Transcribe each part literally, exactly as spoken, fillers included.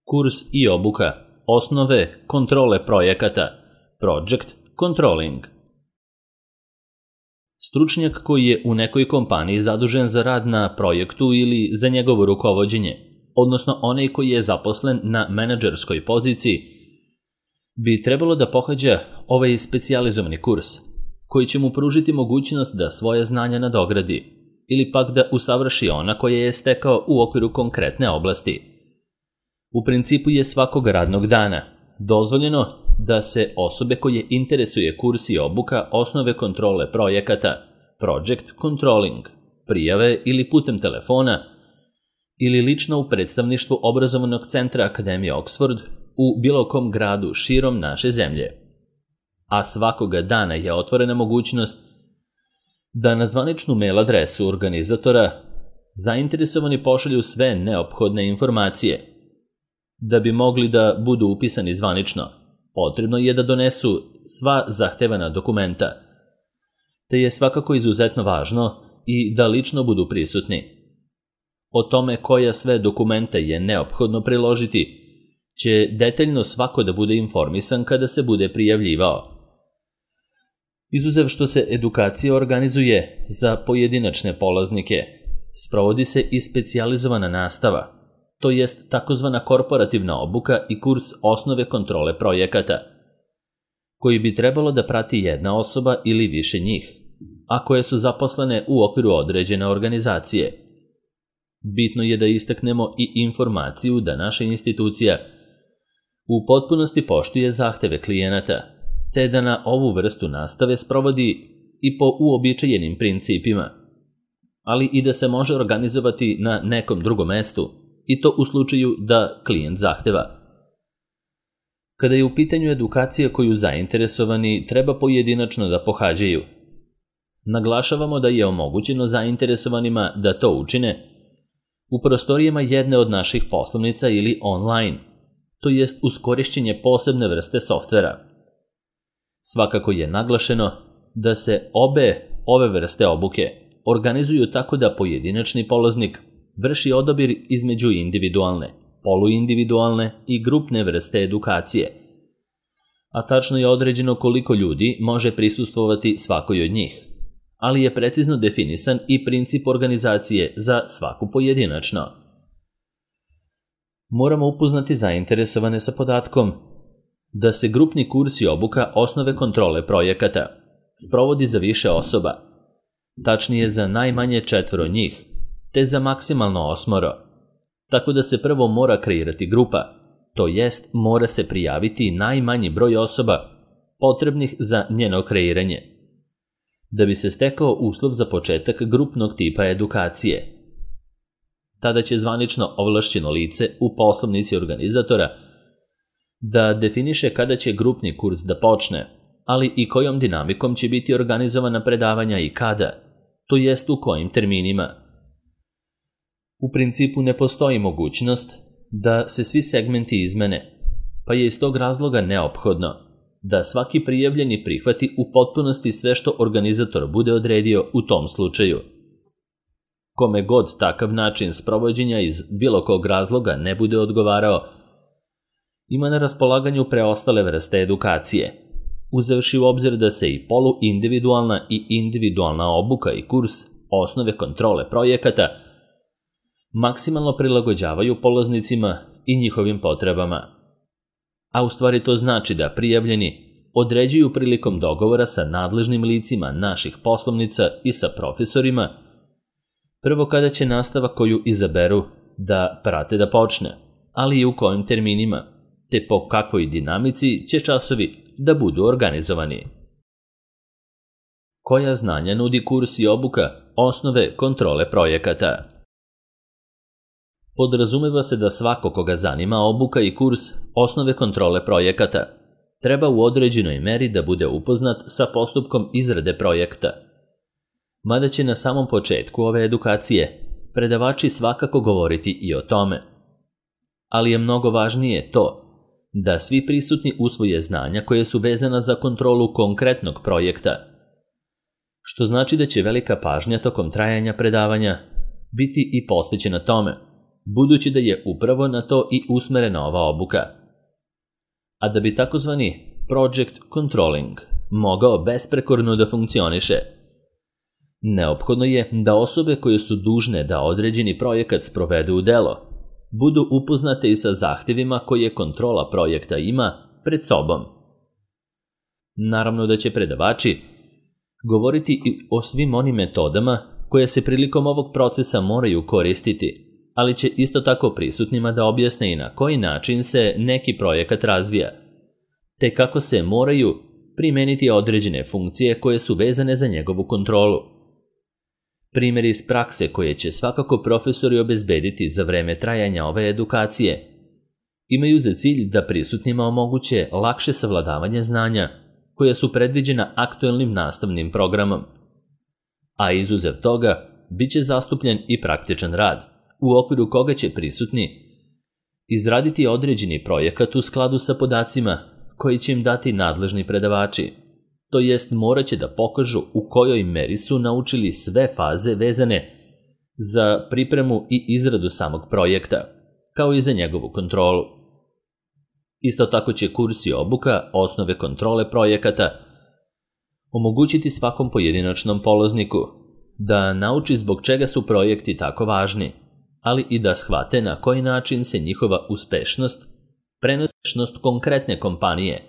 Kurs i obuka, osnove kontrole projekata, Project Controlling. Stručnjak koji je u nekoj kompaniji zadužen za rad na projektu ili za njegovo rukovođenje, odnosno onaj koji je zaposlen na menadžerskoj poziciji, bi trebalo da pohađa ovaj specijalizovani kurs, koji će mu pružiti mogućnost da svoje znanja nadogradi ili pak da usavrši ona koje je stekao u okviru konkretne oblasti. U principu je svakog radnog dana dozvoljeno da se osobe koje interesuje kurs i obuka osnove kontrole projekata, Project Controlling, prijave ili putem telefona ili lično u predstavništvu obrazovnog centra Akademije Oxford u bilo kom gradu širom naše zemlje. A svakoga dana je otvorena mogućnost da na zvaničnu mail adresu organizatora zainteresovani pošalju sve neophodne informacije. Da bi mogli da budu upisani zvanično, potrebno je da donesu sva zahtevana dokumenta, te je svakako izuzetno važno i da lično budu prisutni. O tome koja sve dokumenta je neophodno priložiti će detaljno svako da bude informisan kada se bude prijavljivao. Izuzev što se edukacija organizuje za pojedinačne polaznike, sprovodi se i specijalizovana nastava, to jest takozvana korporativna obuka i kurs osnove kontrole projekata, koji bi trebalo da prati jedna osoba ili više njih, a koje su zaposlene u okviru određene organizacije. Bitno je da istaknemo i informaciju da naša institucija u potpunosti poštuje zahteve klijenata, te da na ovu vrstu nastave sprovodi i po uobičajenim principima, ali i da se može organizovati na nekom drugom mestu, i to u slučaju da klijent zahteva. Kada je u pitanju edukacija koju zainteresovani treba pojedinačno da pohađaju, naglašavamo da je omogućeno zainteresovanima da to učine u prostorijama jedne od naših poslovnica ili online, to jest uz korišćenje posebne vrste softvera. Svakako je naglašeno da se obe ove vrste obuke organizuju tako da pojedinačni polaznik vrši odabir između individualne, poluindividualne i grupne vrste edukacije, a tačno je određeno koliko ljudi može prisustvovati svakoj od njih, ali je precizno definisan i princip organizacije za svaku pojedinačno. Moramo upoznati zainteresovane sa podatkom da se grupni kurs i obuka osnove kontrole projekata sprovodi za više osoba, tačnije za najmanje četvoro njih, te za maksimalno osmoro, tako da se prvo mora kreirati grupa, to jest mora se prijaviti najmanji broj osoba potrebnih za njeno kreiranje, da bi se stekao uslov za početak grupnog tipa edukacije. Tada će zvanično ovlašćeno lice u poslovnici organizatora da definiše kada će grupni kurs da počne, ali i kojom dinamikom će biti organizovana predavanja i kada, to jest u kojim terminima. U principu ne postoji mogućnost da se svi segmenti izmene, pa je iz tog razloga neophodno da svaki prijavljeni prihvati u potpunosti sve što organizator bude odredio u tom slučaju. Kome god takav način sprovođenja iz bilo kog razloga ne bude odgovarao, ima na raspolaganju preostale vrste edukacije, uzevši u obzir da se i poluindividualna i individualna obuka i kurs osnove kontrole projekata maksimalno prilagođavaju polaznicima i njihovim potrebama. A u stvari to znači da prijavljeni određuju prilikom dogovora sa nadležnim licima naših poslovnica i sa profesorima prvo kada će nastava koju izaberu da prate da počne, ali i u kojim terminima, te po kakvoj dinamici će časovi da budu organizovani. Koja znanja nudi kurs i obuka osnove kontrole projekata? Podrazumeva se da svako koga zanima obuka i kurs osnove kontrole projekata treba u određenoj meri da bude upoznat sa postupkom izrade projekta. Mada će na samom početku ove edukacije predavači svakako govoriti i o tome. Ali je mnogo važnije to da svi prisutni usvoje znanja koje su vezana za kontrolu konkretnog projekta, što znači da će velika pažnja tokom trajanja predavanja biti i posvećena tome budući da je upravo na to i usmerena ova obuka. A da bi takozvani project controlling mogao besprekorno da funkcioniše, neophodno je da osobe koje su dužne da određeni projekat sprovedu u delo budu upoznate i sa zahtevima koje kontrola projekta ima pred sobom. Naravno da će predavači govoriti i o svim onim metodama koje se prilikom ovog procesa moraju koristiti, ali će isto tako prisutnima da objasne i na koji način se neki projekat razvija, te kako se moraju primeniti određene funkcije koje su vezane za njegovu kontrolu. Primjeri iz prakse koje će svakako profesori obezbediti za vreme trajanja ove edukacije imaju za cilj da prisutnima omoguće lakše savladavanje znanja koja su predviđena aktuelnim nastavnim programom, a izuzev toga bit će zastupljen i praktičan rad, u okviru koga će prisutni izraditi određeni projekat u skladu sa podacima koji će im dati nadležni predavači, to jest morat će da pokažu u kojoj meri su naučili sve faze vezane za pripremu i izradu samog projekta, kao i za njegovu kontrolu. Isto tako će kurs i obuka osnove kontrole projekata omogućiti svakom pojedinačnom polazniku da nauči zbog čega su projekti tako važni, ali i da shvate na koji način se njihova uspešnost prenosi na uspešnost konkretne kompanije,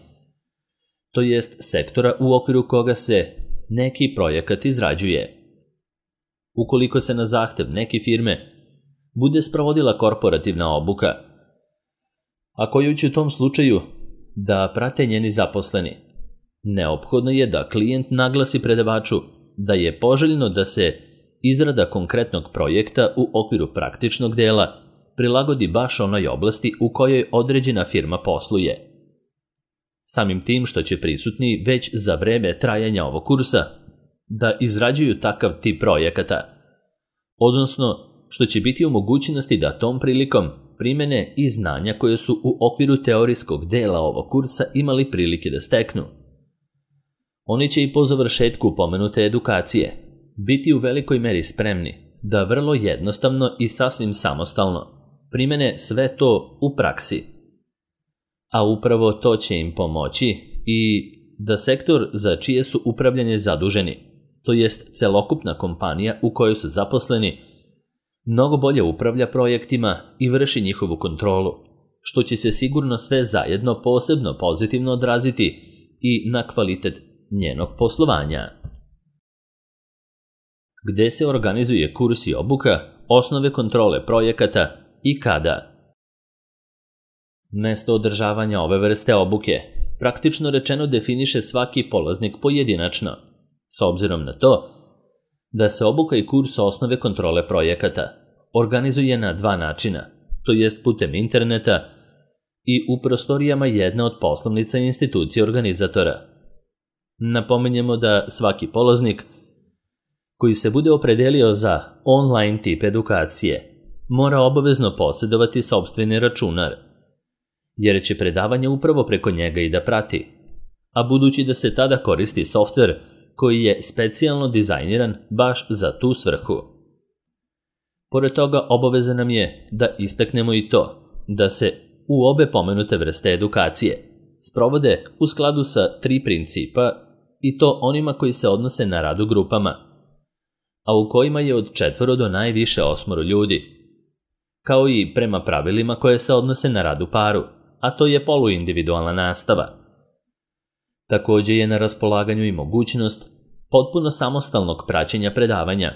to jest sektora u okviru koga se neki projekat izrađuje. Ukoliko se na zahtev neke firme bude sprovodila korporativna obuka, a koju će u tom slučaju da prate njeni zaposleni, neophodno je da klijent naglasi predavaču da je poželjno da se izrada konkretnog projekta u okviru praktičnog dela prilagodi baš onoj oblasti u kojoj određena firma posluje. Samim tim što će prisutni već za vreme trajanja ovog kursa da izrađuju takav tip projekata, odnosno što će biti u mogućnosti da tom prilikom primene i znanja koje su u okviru teorijskog dela ovog kursa imali prilike da steknu. Oni će i po završetku pomenute edukacije biti u velikoj meri spremni da vrlo jednostavno i sasvim samostalno primene sve to u praksi. A upravo to će im pomoći i da sektor za čije su upravljanje zaduženi, to jest celokupna kompanija u kojoj su zaposleni, mnogo bolje upravlja projektima i vrši njihovu kontrolu, što će se sigurno sve zajedno posebno pozitivno odraziti i na kvalitet njenog poslovanja. Gde se organizuje kurs i obuka, osnove kontrole projekata i kada? Mesto održavanja ove vrste obuke praktično rečeno definiše svaki polaznik pojedinačno, s obzirom na to da se obuka i kurs osnove kontrole projekata organizuje na dva načina, to jest putem interneta i u prostorijama jedne od poslovnica institucije organizatora. Napominjemo da svaki polaznik koji se bude opredelio za online tip edukacije mora obavezno posjedovati sopstveni računar, jer će predavanje upravo preko njega i da prati, a budući da se tada koristi softver koji je specijalno dizajniran baš za tu svrhu. Pored toga, obaveza nam je da istaknemo i to da se u obe pomenute vrste edukacije sprovode u skladu sa tri principa, i to onima koji se odnose na rad u grupama, a u kojima je od četvoro do najviše osmoro ljudi, kao i prema pravilima koje se odnose na rad u paru, a to je poluindividualna nastava. Također je na raspolaganju i mogućnost potpuno samostalnog praćenja predavanja,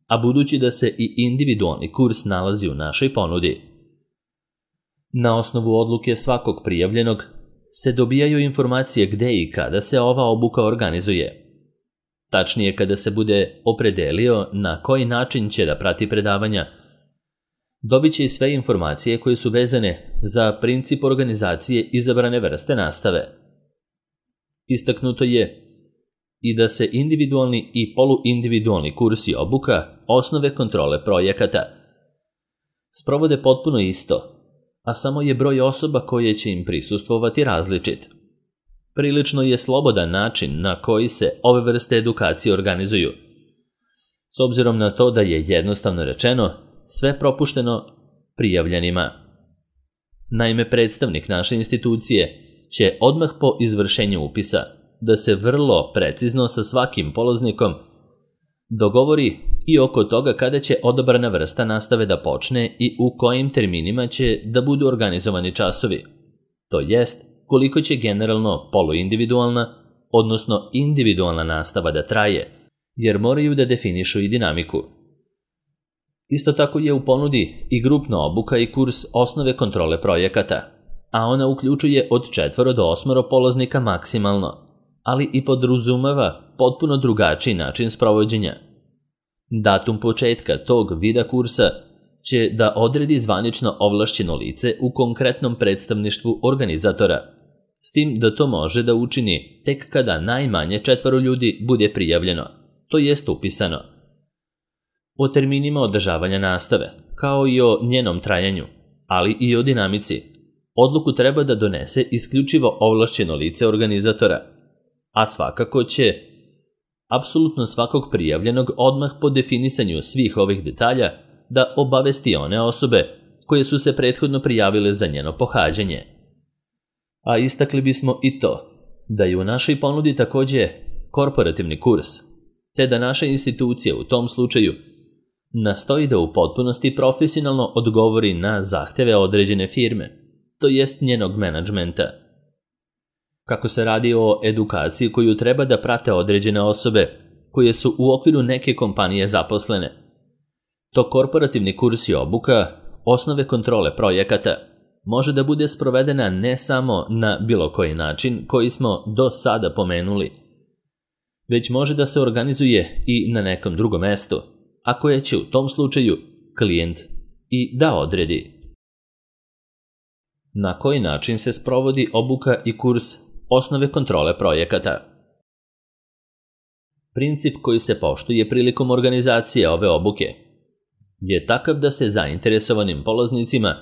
a budući da se i individualni kurs nalazi u našoj ponudi. Na osnovu odluke svakog prijavljenog se dobijaju informacije gde i kada se ova obuka organizuje. Tačnije, kada se bude opredelio na koji način će da prati predavanja, dobit će i sve informacije koje su vezane za princip organizacije izabrane vrste nastave. Istaknuto je i da se individualni i poluindividualni kurs i obuka osnove kontrole projekata sprovode potpuno isto, a samo je broj osoba koje će im prisustvovati različit. Prilično je slobodan način na koji se ove vrste edukacije organizuju, s obzirom na to da je jednostavno rečeno sve propušteno prijavljenima. Naime, predstavnik naše institucije će odmah po izvršenju upisa da se vrlo precizno sa svakim polaznikom dogovori i oko toga kada će odabrana vrsta nastave da počne i u kojim terminima će da budu organizovani časovi. To jest, koliko će generalno poluindividualna, odnosno individualna nastava da traje, jer moraju da definišu i dinamiku. Isto tako je u ponudi i grupna obuka i kurs osnove kontrole projekata, a ona uključuje od četvoro do osmoro polaznika maksimalno, ali i podrazumeva potpuno drugačiji način sprovođenja. Datum početka tog vida kursa će da odredi zvanično ovlašćeno lice u konkretnom predstavništvu organizatora, s tim da to može da učini tek kada najmanje četvoro ljudi bude prijavljeno, to jest upisano. O terminima održavanja nastave, kao i o njenom trajanju, ali i o dinamici, odluku treba da donese isključivo ovlašćeno lice organizatora, a svakako će apsolutno svakog prijavljenog odmah po definisanju svih ovih detalja da obavesti one osobe koje su se prethodno prijavile za njeno pohađanje. A istakli bismo i to da je u našoj ponudi takođe korporativni kurs, te da naša institucija u tom slučaju nastoji da u potpunosti profesionalno odgovori na zahteve određene firme, to jest njenog menadžmenta. Kako se radi o edukaciji koju treba da prate određene osobe koje su u okviru neke kompanije zaposlene, to korporativni kurs i obuka osnove kontrole projekata može da bude sprovedena ne samo na bilo koji način koji smo do sada pomenuli, već može da se organizuje i na nekom drugom mestu, a koje će u tom slučaju klijent i da odredi. Na koji način se sprovodi obuka i kurs osnove kontrole projekata? Princip koji se poštuje prilikom organizacije ove obuke je takav da se zainteresovanim polaznicima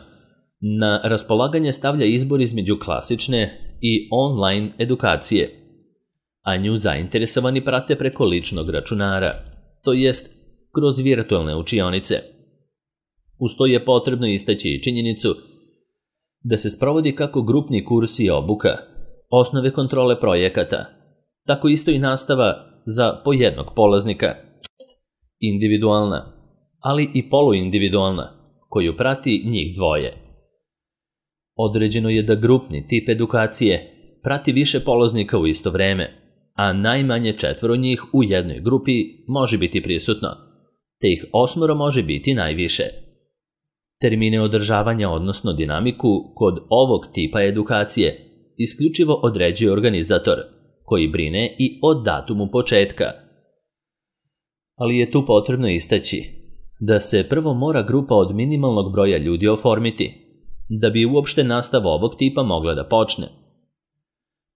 na raspolaganje stavlja izbor između klasične i online edukacije, a nju zainteresovani prate preko ličnog računara, to jest kroz virtualne učionice. Uz to je potrebno istaći i činjenicu da se sprovodi kako grupni kurs i obuka, osnove kontrole projekata, tako isto i nastava za po jednog polaznika, individualna, ali i poluindividualna, koju prati njih dvoje. Određeno je da grupni tip edukacije prati više polaznika u isto vreme, a najmanje četvoro njih u jednoj grupi može biti prisutno, te ih osmoro može biti najviše. Termine održavanja, odnosno dinamiku, kod ovog tipa edukacije isključivo određuje organizator, koji brine i o datumu početka. Ali je tu potrebno istaći da se prvo mora grupa od minimalnog broja ljudi oformiti, da bi uopšte nastava ovog tipa mogla da počne.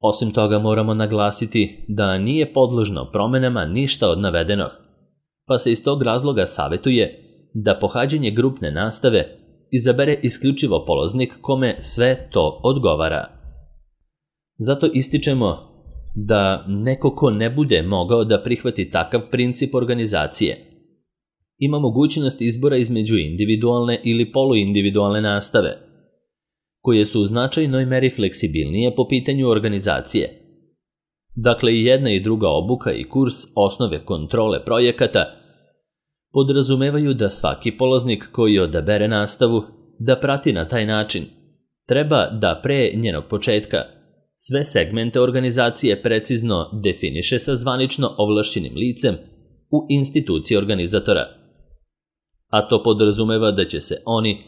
Osim toga moramo naglasiti da nije podložno promenama ništa od navedenog, pa se iz tog razloga savetuje da pohađanje grupne nastave izabere isključivo polaznik kome sve to odgovara. Zato ističemo da neko ko ne bude mogao da prihvati takav princip organizacije ima mogućnost izbora između individualne ili poluindividualne nastave, koje su u značajnoj meri fleksibilnije po pitanju organizacije. Dakle, i jedna i druga obuka i kurs osnove kontrole projekata podrazumevaju da svaki polaznik koji odabere nastavu da prati na taj način treba da pre njenog početka sve segmente organizacije precizno definiše sa zvanično ovlašćenim licem u instituciji organizatora. A to podrazumeva da će se oni,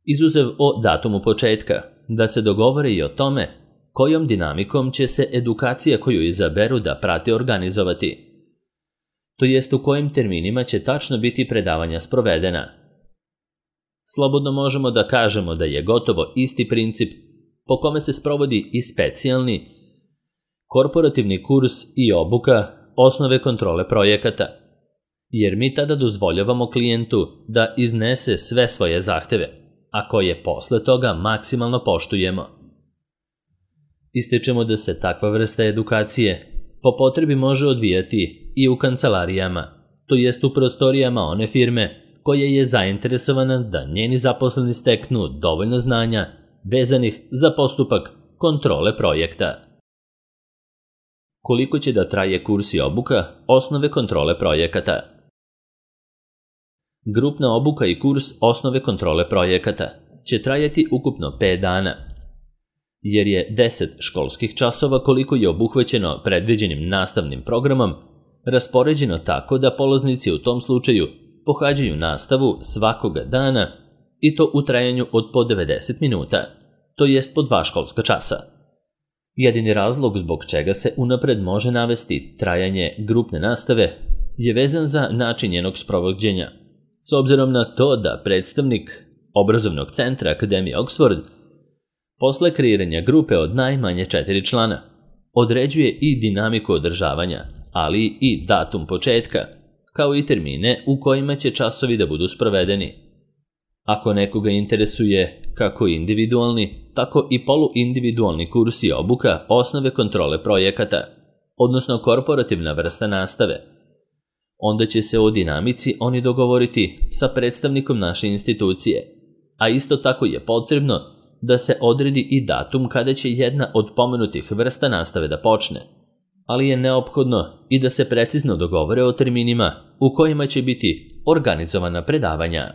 izuzev o datumu početka, da se dogovore i o tome kojom dinamikom će se edukacija koju izaberu da prate organizovati, to jest u kojim terminima će tačno biti predavanja sprovedena. Slobodno možemo da kažemo da je gotovo isti princip po kome se sprovodi i specijalni korporativni kurs i obuka osnove kontrole projekata, jer mi tada dozvoljavamo klijentu da iznese sve svoje zahteve, a koje posle toga maksimalno poštujemo. Ističemo da se takva vrsta edukacije po potrebi može odvijati i u kancelarijama, to jest u prostorijama one firme koja je zainteresovana da njeni zaposleni steknu dovoljno znanja vezanih za postupak kontrole projekta. Koliko će da traje kurs i obuka osnove kontrole projekata? Grupna obuka i kurs osnove kontrole projekata će trajati ukupno pet dana, jer je deset školskih časova koliko je obuhvaćeno predviđenim nastavnim programom raspoređeno tako da polaznici u tom slučaju pohađaju nastavu svakoga dana i to u trajanju od po devedeset minuta, to jest po dva školska časa. Jedini razlog zbog čega se unapred može navesti trajanje grupne nastave je vezan za način njenog sprovođenja, s obzirom na to da predstavnik obrazovnog centra Akademije Oxford posle kreiranja grupe od najmanje četiri člana određuje i dinamiku održavanja, ali i datum početka, kao i termine u kojima će časovi da budu sprovedeni. Ako nekoga interesuje kako individualni, tako i poluindividualni kurs i obuka osnove kontrole projekata, odnosno korporativna vrsta nastave, onda će se o dinamici oni dogovoriti sa predstavnikom naše institucije, a isto tako je potrebno da se odredi i datum kada će jedna od pomenutih vrsta nastave da počne, ali je neophodno i da se precizno dogovore o terminima u kojima će biti organizovana predavanja.